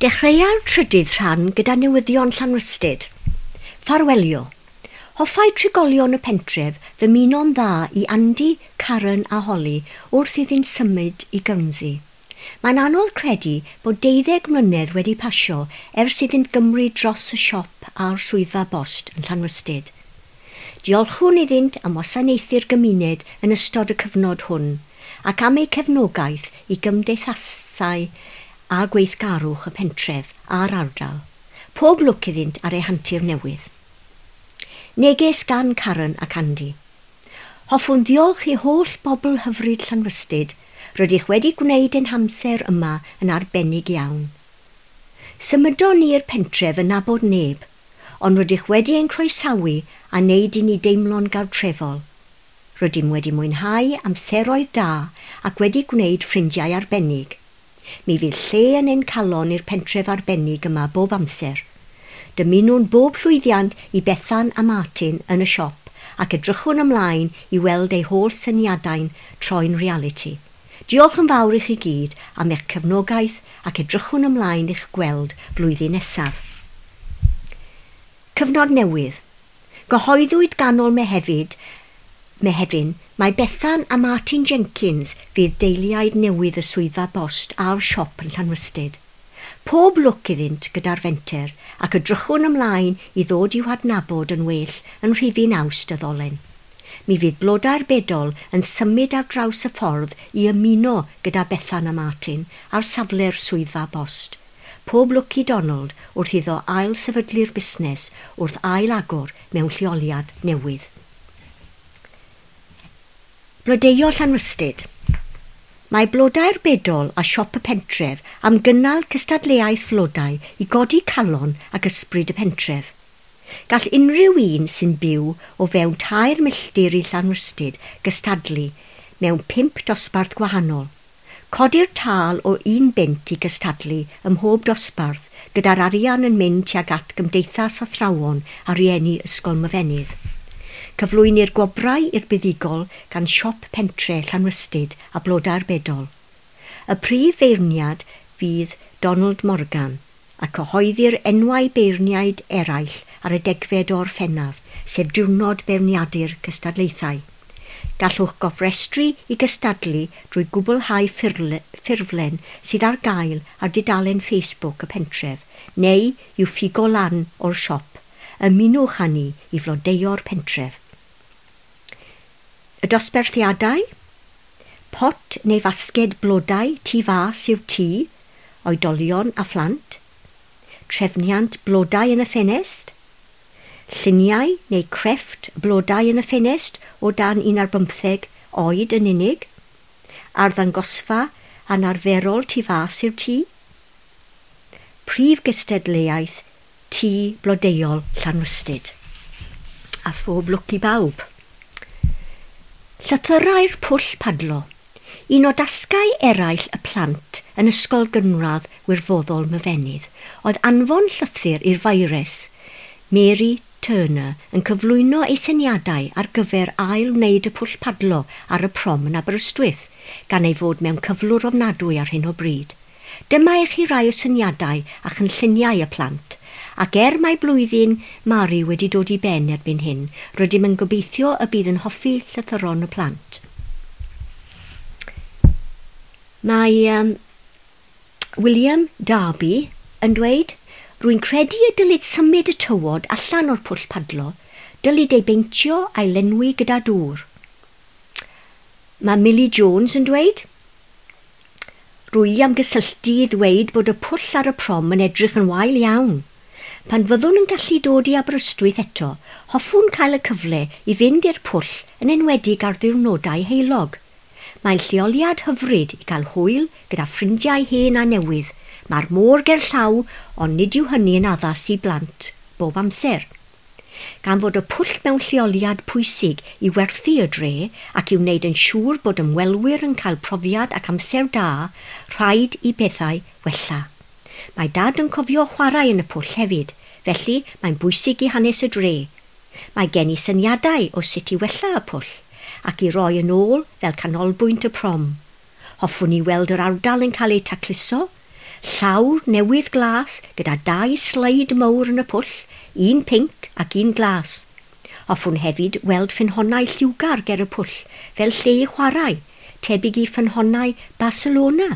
Dechreua'r trydydd rhan gyda newyddion Llanrhystud. Ffarwelio. Hoffai trigolion y pentref ddymuno'n dda i Andy, Karen a Holly wrth iddynt symud i Guernsey. Mae'n anodd credu bod 12 mlynedd wedi pasio ers iddynt gymryd dros y siop a'r swyddfa bost yn Llanrhystud. Diolchwn iddynt am wasanaethu'r gymuned yn ystod y cyfnod hwn ac am eu cefnogaeth i gymdeithasau a gweithgarwch y pentref a'r ardal. Pob lwc iddynt ar eu hantur newydd. Neges gan Karen ac Andy. Hoffwn ddiolch i holl bobl hyfryd Llanrhystud. Rydych wedi gwneud ein hamser yma yn arbennig iawn. Symudon ni i'r pentref yn nabod neb, ond rydych wedi ein croesawu a wneud i ni deimlo'n gartrefol. Rydym wedi mwynhau amseroedd da ac wedi gwneud ffrindiau arbennig. Mi fydd lle yn ein calon i'r pentref arbennig yma bob amser. Dymunwn bob llwyddiant i Bethan a Martin yn y siop ac edrychwn ymlaen i weld eu holl syniadau'n troi'n realiti. Diolch yn fawr i chi gyd am eich cefnogaeth ac edrychwn ymlaen i'ch gweld flwyddyn nesaf. Cyfnod newydd. Gyhoeddwyd ganol Mehefin mai Bethan a Martin Jenkins fydd deiliaid newydd y swyddfa bost a'r siop yn Llanrhystud. Pob lwc iddynt gyda'r fenter ac edrychwn ymlaen i ddod i'w hadnabod yn well yn rhifyn Awst y ddolen. Mi fydd Blodau'r Bedol yn symud ar draws y ffordd i ymuno gyda Bethan a Martin ar safle'r swyddfa bost. Pob lwc i Donald wrth iddo ail sefydlu'r busnes wrth ail agor mewn lleoliad newydd. Blodeuo Llanrhystud. Mae Blodau'r Bedol a Siop y Pentref am gynnal cystadleuaeth flodau i godi calon ac ysbryd y pentref. Gall unrhyw un sy'n byw o fewn 3 milltir i Llanrhystud gystadlu mewn 5 dosbarth gwahanol. Codir tâl o 1 bunt i gystadlu ym mhob dosbarth gyda'r arian yn mynd tuag at Gymdeithas Athrawon a Rhieni Ysgol Myfenydd. Cyflwynir gwobrau i'r buddugol gan Siop Pentre Llanrhystud a Blodau'r Bedol. Y prif feirniad fydd Donald Morgan a cyhoeddir enwau beirniaid eraill ar y 10fed o Orffennaf, sef diwrnod beirniadu'r cystadlaethau. Gallwch gofrestru i gystadlu drwy gwblhau ffurflen sydd ar gael ar dudalen Facebook y pentref neu i'w ffigo lan o'r siop. Ymunwch â ni i flodeuo'r pentref. Y dosbarthiadau? Pot neu fasged blodau tu fas yw'r tŷ, oedolion a phlant. Trefniant blodau yn y ffenest. Lluniau neu crefft blodau yn y ffenest o dan 15 oed yn unig. Arddangosfa anarferol tu fas i'r tŷ. Prif gystadleuaeth Tŷ Blodeuol Llanrhystud. A phob lwc i bawb. Llythyrau'r pwll padlo. Un o dasgau eraill y plant yn Ysgol Gynradd Wirfoddol Myfenydd oedd anfon llythyr i'r faeres, Mary Turner, yn cyflwyno ei syniadau ar gyfer ail wneud y pwll padlo ar y prom yn Aberystwyth, gan ei fod mewn cyflwr ofnadwy ar hyn o bryd. Dyma i chi rai o syniadau a chynlluniau y plant, ac er mae blwyddyn Mari wedi dod i ben erbyn hyn, rydym yn gobeithio y bydd yn hoffi llythyron y plant. Mae William Darby yn dweud, Rwy'n credu y dylid symud y tywod allan o'r pwll padlo, dylid ei beintio a'i lenwi gyda dŵr. Mae Millie Jones yn dweud, Rwy am gysylltu i ddweud bod y pwll ar y prom yn edrych yn wael iawn. Pan fyddwn yn gallu dod i Aberystwyth eto, hoffwn cael y cyfle i fynd i'r pwll yn enwedig ar ddiwrnodau heulog. Mae'n lleoliad hyfryd i gael hwyl gyda ffrindiau hen a newydd. Mae'r môr gerllaw, ond nid yw hynny yn addas i blant bob amser. Gan fod y pwll mewn lleoliad pwysig i werthu y dre ac i wneud yn siŵr bod ymwelwyr yn cael profiad ac amser da, rhaid i bethau wella. Mae Dad yn cofio chwarae yn y pwll hefyd, felly mae'n bwysig i hanes y dre. Mae gen i syniadau o sut i wella y pwll ac i roi yn ôl fel canolbwynt y prom. Hoffwn i weld yr ardal yn cael ei tacluso. Llawr newydd glas gyda dau sleid mawr yn y pwll, un pinc ac un glas. Hoffwn hefyd weld ffynhonnau lliwgar ger y pwll, fel lle i chwarae, tebyg i ffynhonnau Barcelona.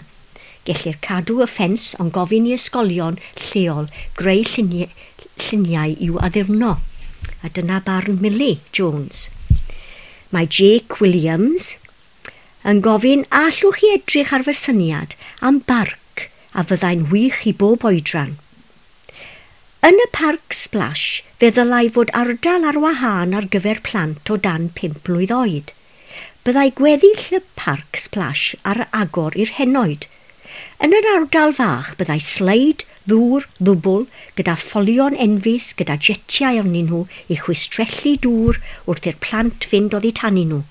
Gellir cadw y ffens ond gofyn i ysgolion lleol greu lluniau i'w addurno. A dyna barn Millie Jones. Mae Jake Williams yn gofyn allwch chi edrych ar fy syniad am barc a fyddai'n wych i bob oedran. Yn y parc splash, fe ddylai fod ardal ar wahân ar gyfer plant o dan 5 mlwydd oed. Byddai gweddill y parc splash ar agor i'r henoed. Yn yr ardal fach byddai sleid, ddŵr, ddwbl, gyda ffolion enfys gyda jetiau arnyn nhw i chwistrellu dŵr wrth i'r plant fynd oddi tanyn nhw.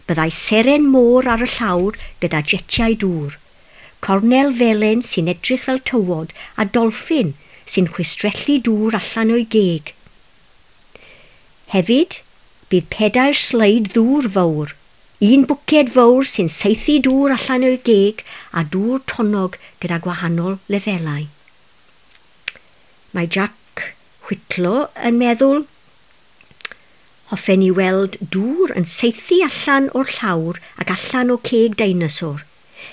Byddai seren môr ar y llawr gyda jetiau dŵr. Cornel felen sy'n edrych fel tywod a dolffin sy'n chwistrellu dŵr allan o'i geg. Hefyd, bydd 4 sleid ddŵr fawr, un bwced fawr sy'n saethu dŵr allan o'i geg a dŵr tonnog gyda gwahanol lefelau. Mae Jack Whitlow yn meddwl, hoffen i weld dŵr yn saethu allan o'r llawr ac allan o ceg deinosor.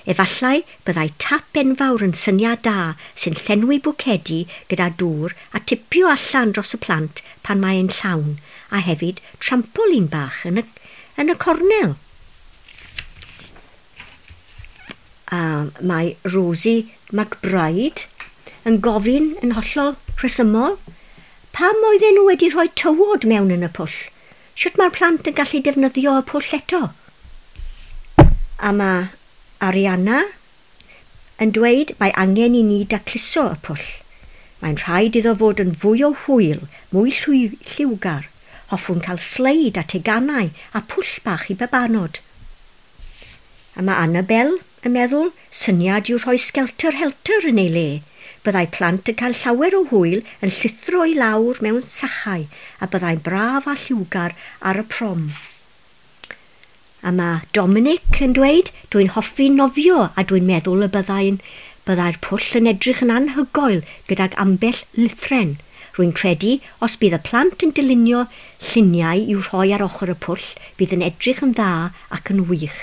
Efallai byddai tap enfawr yn syniad da sy'n llenwi bwcedi gyda dŵr a tipio allan dros y plant pan mae'n llawn, a hefyd trampolin bach yn y cornel. A mae Rosie McBride yn gofyn yn hollol rhesymol, pam oedden nhw wedi rhoi tywod mewn yn y pwll? Sut mae'r plant yn gallu defnyddio y pwll eto? A mae Arianna yn dweud mae angen i ni dacluso y pwll. Mae'n rhaid iddo fod yn fwy o hwyl, mwy lliwgar. Hoffwn cael sleid a teganau a pwll bach i babanod. A mae Annabel yn meddwl syniad yw rhoi sgelter helter yn ei le. Byddai plant yn cael llawer o hwyl yn llithro i lawr mewn sachau a byddai'n braf a lliwgar ar y prom. A mae Dominic yn dweud, dwi'n hoffi nofio a dwi'n meddwl y byddai'r pwll yn edrych yn anhygoel gydag ambell lithren. Rwy'n credu os bydd y plant yn dylunio lluniau i'w rhoi ar ochr y pwll, bydd yn edrych yn dda ac yn wych.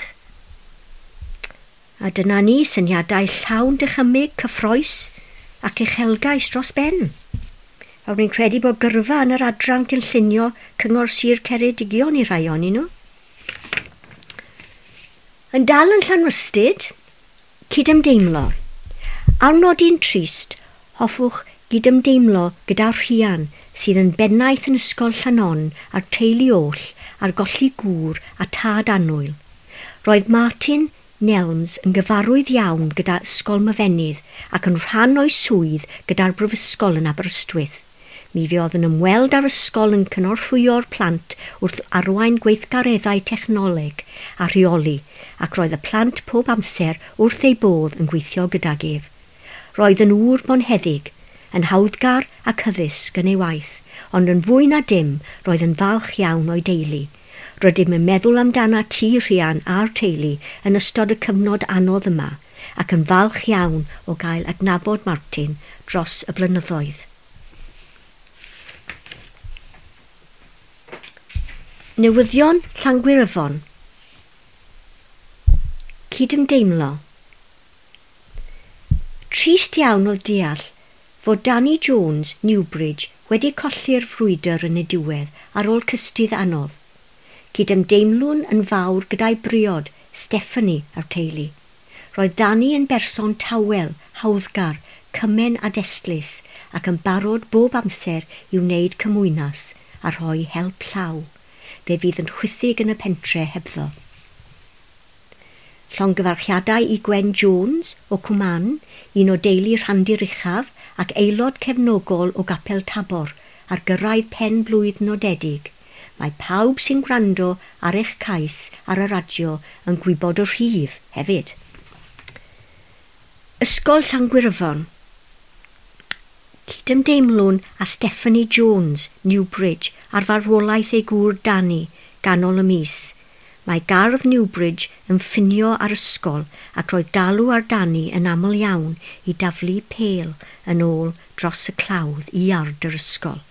A dyna ni syniadau llawn dychymyg, cyffrous ac uchelgais dros ben. A rwy'n credu bod gyrfa yn yr adran gynllunio Cyngor Sir Ceredigion i rhai ohonyn nhw. Yn dal yn Llanrhystud, cydymdeimlo. Ar nodyn trist, hoffwch gydymdeimlo gyda Rhian sydd yn bennaeth yn Ysgol Llanon a'r teulu oll ar golli gŵr a tad annwyl. Roedd Martin Nelms yn gyfarwydd iawn gyda Ysgol Myfenydd ac yn rhan o'i swydd gyda'r Brifysgol yn Aberystwyth. Mi fuodd yn ymweld â'r ysgol yn cynorthwyo'r plant wrth arwain gweithgareddau technoleg a rheoli, ac roedd y plant pob amser wrth ei bodd yn gweithio gydag ef. Roedd yn ŵr bonheddig, yn hawddgar ac hyddysg yn ei waith, ond yn fwy na dim roedd yn falch iawn o'i deulu. Rydym yn meddwl amdana ti Rhian a'r teulu yn ystod y cyfnod anodd yma ac yn falch iawn o gael adnabod Martin dros y blynyddoedd. Newyddion Llangwyryfon. Cydymdeimlo. Trist iawn oedd deall fod Danny Jones, Newbridge, wedi colli'r frwydr yn y diwedd ar ôl cystudd anodd. Cydymdeimlwn yn fawr gyda'i briod, Stephanie, a'r teulu. Roedd Danny yn berson tawel, hawddgar, cymen a destlus ac yn barod bob amser i wneud cymwynas a rhoi help llaw. Fe fydd yn chwithig yn y pentre hebddo. Llongyfarchiadau i Gwen Jones o Cwman, un o deulu Rhandir Uchaf ac aelod cefnogol o Gapel Tabor ar gyrraedd pen blwydd nodedig. Mae pawb sy'n gwrando ar eich cais ar y radio yn gwybod y rhif hefyd. Ysgol Llangwyryfon. Cydymdeimlwn â Stephanie Jones, Newbridge, ar farwolaeth ei gŵr Danny, ganol y mis. Mae gardd Newbridge yn ffinio ar ysgol ac roedd galw ar Danny yn aml iawn i daflu pêl yn ôl dros y clawdd i iard yr ysgol.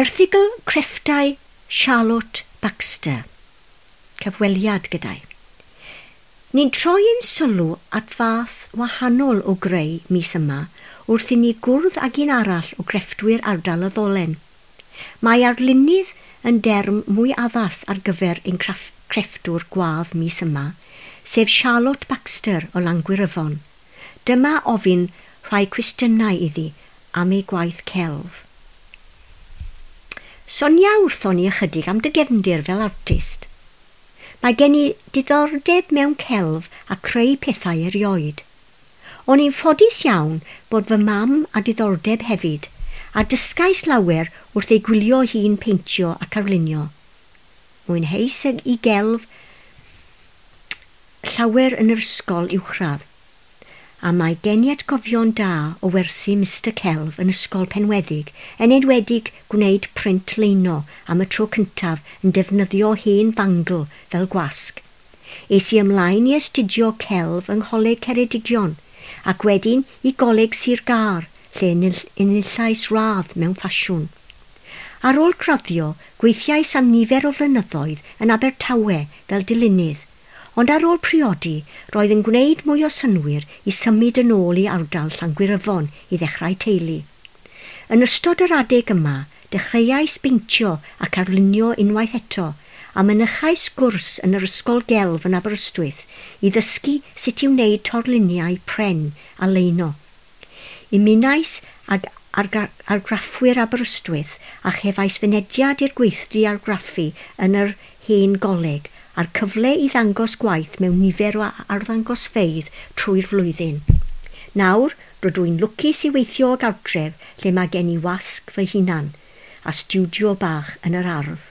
Erthygl Crefftau Charlotte Baxter. Cyfweliad gyda'i. Ni'n troi ein sylw at fath wahanol o greu mis yma wrth i ni gwrdd ag un arall o grefftwyr ardal y Ddolen. Mae arlunydd yn derm mwy addas ar gyfer ein crefftwr gwadd mis yma, sef Charlotte Baxter o Langwyryfon. Dyma ofyn rhai cwestiynau iddi am ei gwaith celf. Sonia wrthon ni ychydig am dy gefndir fel artist. Mae gen i diddordeb mewn celf a creu pethau erioed. O'n i'n ffodus iawn bod fy mam a diddordeb hefyd, a dysgais lawer wrth ei gwylio hi'n peintio ac arlunio. Mwynheis i gelf llawer yn yr ysgol uwchradd, a mae gen i atgofion da o wersi Mr Celf yn Ysgol Penweddig, yn enwedig gwneud print leino am y tro cyntaf yn defnyddio hen fangl fel gwasg. Es i ymlaen i astudio celf yng Ngholeg Ceredigion, ac wedyn i Goleg Sir Gâr, lle enillais radd mewn ffasiwn. Ar ôl graddio, gweithiais am nifer o flynyddoedd yn Abertawe fel dilynydd, ond ar ôl priodi, roedd yn gwneud mwy o synnwyr i symud yn ôl i ardal Llangwyryfon i ddechrau teulu. Yn ystod yr adeg yma, dechreuais beintio ac arlunio unwaith eto, a mynychais gwrs yn yr Ysgol Gelf yn Aberystwyth i ddysgu sut i wneud torluniau pren a leino. Ymunais ag argraffwyr Aberystwyth a chefais fynediad i'r gweithdy argraffu yn yr hen goleg a'r cyfle i ddangos gwaith mewn nifer o arddangosfeydd trwy'r flwyddyn. Nawr, rydw i'n lwcus i weithio o gartref lle mae gen i wasg fy hunan a stiwdio bach yn yr ardd.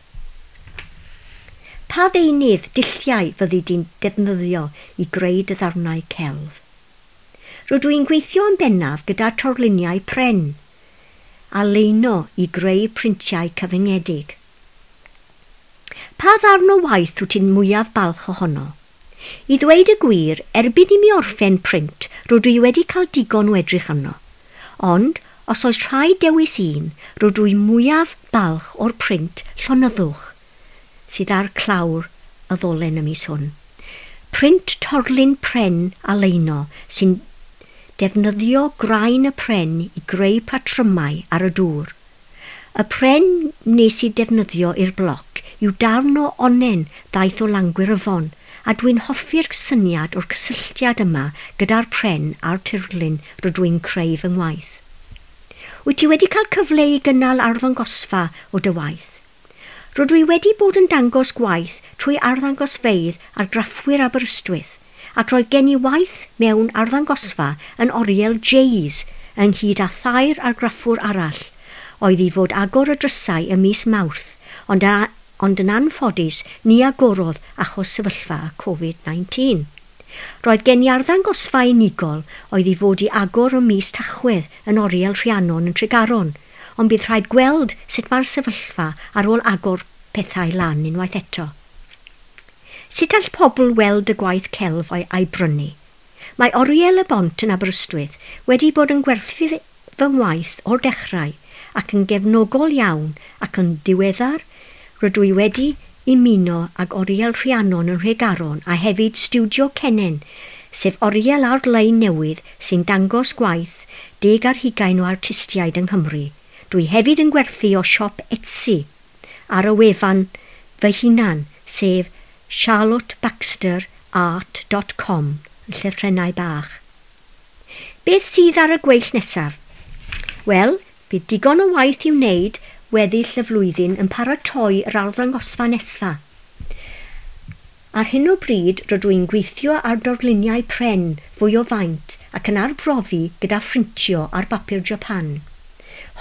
Pa ddeunydd dulliau fyddi di'n defnyddio i greu dy ddarnau celf? Rydw i'n gweithio yn bennaf gyda torluniau pren a leino i greu printiau cyfyngedig. Pa ddarn o waith wyt ti'n mwyaf balch ohono? I ddweud y gwir, erbyn i mi orffen print, rydw i wedi cael digon o edrych arno. Ond, os oes rhaid dewis un, rydw i mwyaf balch o'r print llonyddwch sydd ar clawr y ddolen y mis hwn. Print torlun pren a leino sy'n defnyddio graen y pren i greu patrymau ar y dŵr. Y pren nes i defnyddio i'r bloc yw darn o onnen ddaeth o Langwyryfon, a dwi'n hoffi'r syniad o'r cysylltiad yma gyda'r pren a'r tirlun rydw i'n creu fy ngwaith. Wyt ti wedi cael cyfle i gynnal arddangosfa o dy waith? Rydw i wedi bod yn dangos gwaith trwy arddangosfeydd argraffwyr Aberystwyth, ac roedd gen i waith mewn arddangosfa yn Oriel Jays ynghyd â thair argraffwr arall, oedd i fod agor y drysau ym mis Mawrth, ond, a, ond yn anffodus ni agorodd achos sefyllfa Covid-19. Roedd gen i arddangosfa unigol oedd i fod i agor ym mis Tachwedd yn Oriel Rhiannon yn Tregaron, ond bydd rhaid gweld sut mae'r sefyllfa ar ôl agor pethau lan unwaith eto. Sut all pobl weld y gwaith celf a'i brynu? Mae Oriel y Bont yn Aberystwyth wedi bod yn gwerthu fy ngwaith o'r dechrau ac yn gefnogol iawn ac yn diweddar rydw i wedi ymuno ag Oriel Rhiannon yn Nhregaron a hefyd Stiwdio Cennen, sef oriel ar-lein newydd sy'n dangos gwaith 20 o artistiaid yng Nghymru. Dwi hefyd yn gwerthu o siop Etsy ar y wefan fy hunan, sef charlottebaxterart.com yn llythrennau bach. Beth sydd ar y gweill nesaf? Wel, bydd digon o waith i'w wneud weddill y flwyddyn yn paratoi yr arddangosfa nesaf. Ar hyn o bryd, rydw i'n gweithio ar dorluniau pren fwy o faint ac yn arbrofi gyda phrintio ar bapur Japan.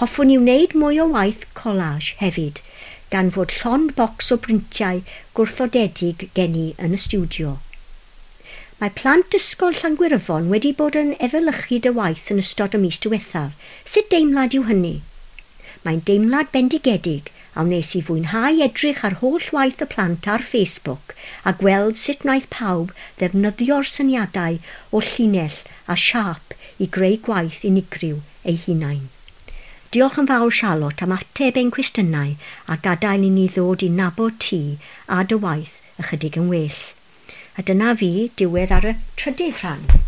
Hoffwn i wneud mwy o waith collage hefyd, gan fod llond bocs o brintiau gwrthodedig gen i yn y stiwdio. Mae plant ysgol Llangwyryfon wedi bod yn efelychu dy waith yn ystod y mis diwethaf. Sut deimlad yw hynny? Mae'n deimlad bendigedig a wnes i fwynhau edrych ar holl waith y plant ar Facebook a gweld sut wnaeth pawb ddefnyddio'r syniadau o llinell a siâp i greu gwaith unigryw eu hunain. Diolch yn fawr Charlotte am ateb ein cwestiynau a gadael i ni ddod i nabod ti a dy waith ychydig yn well. A dyna fi, diwedd ar y trydydd rhan.